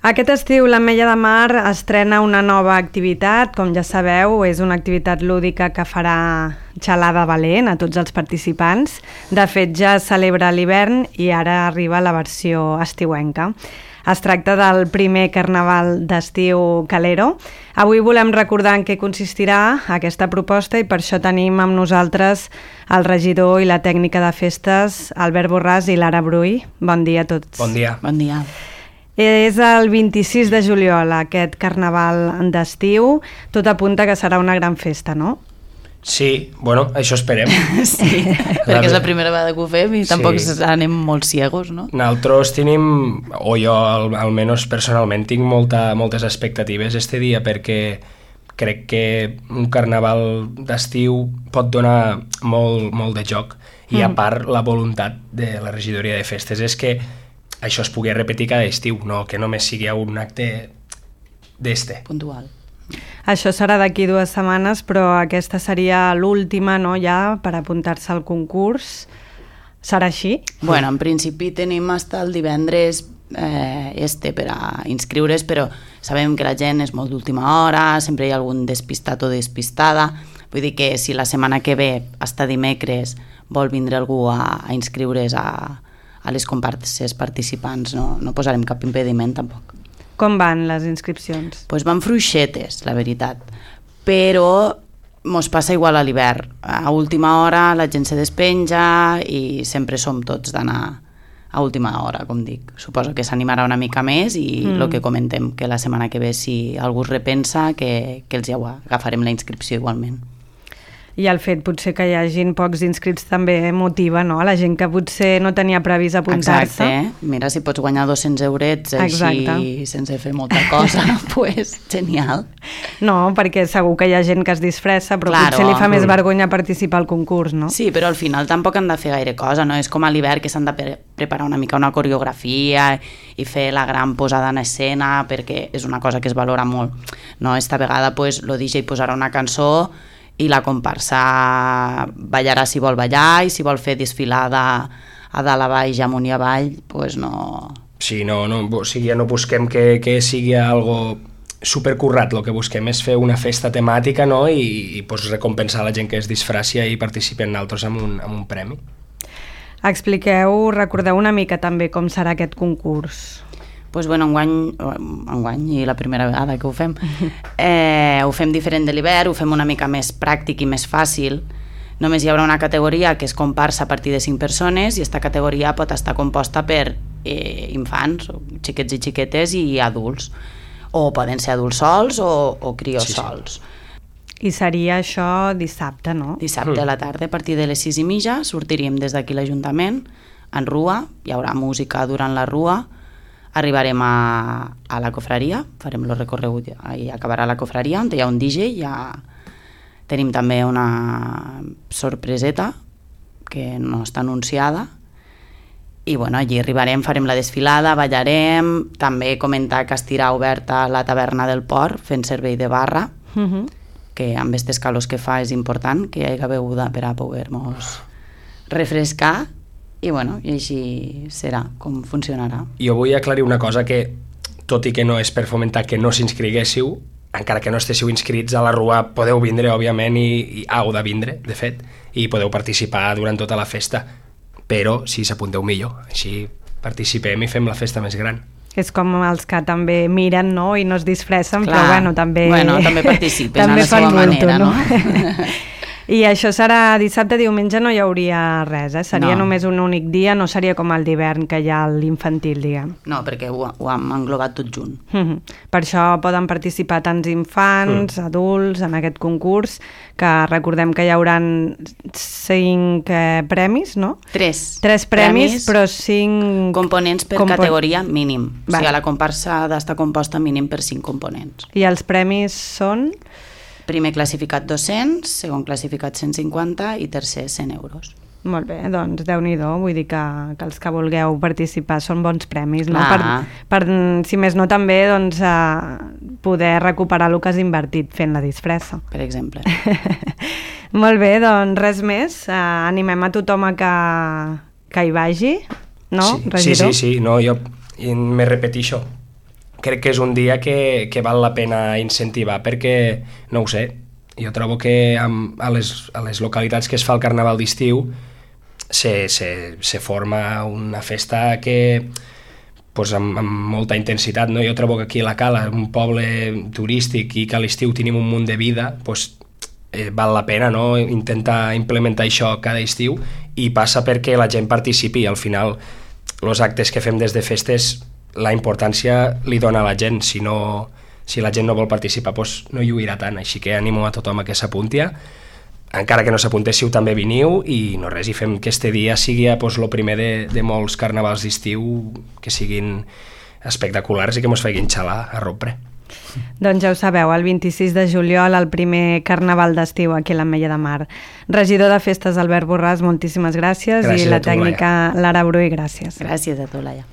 Aquest estiu l'Ametlla de Mar estrena una nova activitat. Com ja sabeu, és una activitat lúdica que farà xalada valent a tots els participants. De fet, ja es celebra l'hivern i ara arriba la versió estiuenca. Es tracta del primer carnaval d'estiu calero. Avui volem recordar en què consistirà aquesta proposta i per això tenim amb nosaltres el regidor i la tècnica de festes, Albert Borràs i Lara Brull. Bon dia a tots. Bon dia. Bon dia. És el 26 de juliol, aquest carnaval d'estiu. Tot apunta que serà una gran festa, no? Sí, bueno, això esperem. Sí, perquè és la primera vegada que ho fem i tampoc anem molt ciegos, no? Nosaltres tenim, o jo almenys personalment, tinc moltes expectatives este dia perquè crec que un carnaval d'estiu pot donar molt de joc i a part la voluntat de la regidoria de festes és que això es pugui repetir cada estiu, no que només sigui un acte d'este. Puntual. Això serà d'aquí 2 setmanes, però aquesta seria l'última, no, ja, per apuntar-se al concurs. Serà així? Bueno, en principi tenim fins el divendres per a inscriure's, però sabem que la gent és molt d'última hora, sempre hi ha algun despistat o despistada. Vull dir que si la setmana que ve, fins dimecres, vol vindre algú a inscriure's a les comparses participants, no posarem cap impediment tampoc. Com van les inscripcions? Doncs van fluixetes, la veritat, però mos passa igual a l'hivern. A última hora la gent se despenja i sempre som tots d'anar a última hora, com dic. Suposo que s'animarà una mica més i el que comentem, que la setmana que ve si algú es repensa que els ja agafarem la inscripció igualment. I el fet potser que hi hagin pocs inscrits també motiva, no?, a la gent que potser no tenia previst apuntar-se. Exacte, mira, si pots guanyar 200 eurets així sense fer molta cosa, pues genial. No, perquè segur que hi ha gent que es disfressa, però potser li fa més vergonya participar al concurs, no? Sí, però al final tampoc han de fer gaire cosa, no? És com a l'hivern que s'han de preparar una mica una coreografia i fer la gran posada en escena, perquè és una cosa que es valora molt. No, esta vegada pues, lo DJ posarà una cançó i la comparsa ballarà si vol ballar i si vol fer desfilada a dalt a baix, amunt i avall, doncs no... Sí, o sigui, no busquem que sigui algo supercurrat, el que busquem és fer una festa temàtica, no?, i pues, recompensar la gent que es disfracia i participi en altres amb un premi. Recordeu una mica també com serà aquest concurs. Doncs bueno, enguany i la primera vegada que ho fem diferent de l'hivern, ho fem una mica més pràctic i més fàcil. Només hi haurà una categoria que és comparsa a partir de 5 persones i aquesta categoria pot estar composta per infants, xiquets i xiquetes i adults, o poden ser adults sols o crios sols. I seria això dissabte, no? Dissabte a la tarda, a partir de les 6:30, sortiríem des d'aquí l'Ajuntament en rua, hi haurà música durant la rua, arribarem a la cofraria, farem el recorregut i acabarà la cofraria, on hi ha un DJ, ja tenim també una sorpreseta que no està anunciada i bueno, allí arribarem, farem la desfilada, ballarem, també comentar que estirà oberta la taverna del port fent servei de barra, que amb aquestes calors que fa és important que hi hagi beguda per a poder-nos refrescar. I bueno, i així serà, com funcionarà. Jo vull aclarir una cosa que, tot i que no és per fomentar que no s'inscriguéssiu, encara que no estéssiu inscrits a la rua, podeu vindre, òbviament, i heu de vindre, de fet, i podeu participar durant tota la festa, però si s'apunteu millor, així participem i fem la festa més gran. És com els que també miren, no?, i no es disfressen, però bueno, també... Bueno, també participen a la seva manera, no? I això serà dissabte, diumenge no hi hauria res, seria només un únic dia, no seria com el d'hivern que hi ha l'infantil, diguem. No, perquè ho hem englobat tot junt. Per això poden participar tants infants, adults, en aquest concurs, que recordem que hi haurà 5 premis, no? 3 premis, però 5... components per categoria mínim. O sigui, la comparsa ha d'estar composta mínim per 5 components. I els premis són... Primer classificat 200, segon classificat 150 i tercer 100 euros. Molt bé, doncs Déu-n'hi-do, vull dir que els que vulgueu participar són bons premis, no? Per, si més no, també doncs, poder recuperar el que has invertit fent la disfressa. Per exemple. Molt bé, doncs res més, animem a tothom a que hi vagi, no, regidor? Sí, no, jo me repeteixo. crec que és un dia que val la pena incentivar, perquè, no ho sé, jo trobo que a les localitats que es fa el carnaval d'estiu se forma una festa que pues, amb molta intensitat, no? Jo trobo que aquí a la Cala, un poble turístic i que a l'estiu tenim un munt de vida, pues, val la pena, no? Intentar implementar això cada estiu, i passa perquè la gent participi. Al final els actes que fem des de festes, la importància li dona a la gent. Si la gent no vol participar, pues no hi oirà tant, així que animo a tothom a que s'apunti. Encara que no s'apuntéssiu, també veniu, i no res, i fem que este dia sigui pues, el primer de molts carnavals d'estiu que siguin espectaculars i que mos facin xalar a rompre. Doncs ja ho sabeu, el 26 de juliol, el primer carnaval d'estiu aquí a l'Ametlla de Mar. Regidor de Festes Albert Borràs, moltíssimes gràcies, i la tècnica Lara Brull, gràcies. Gràcies a tu, Laia.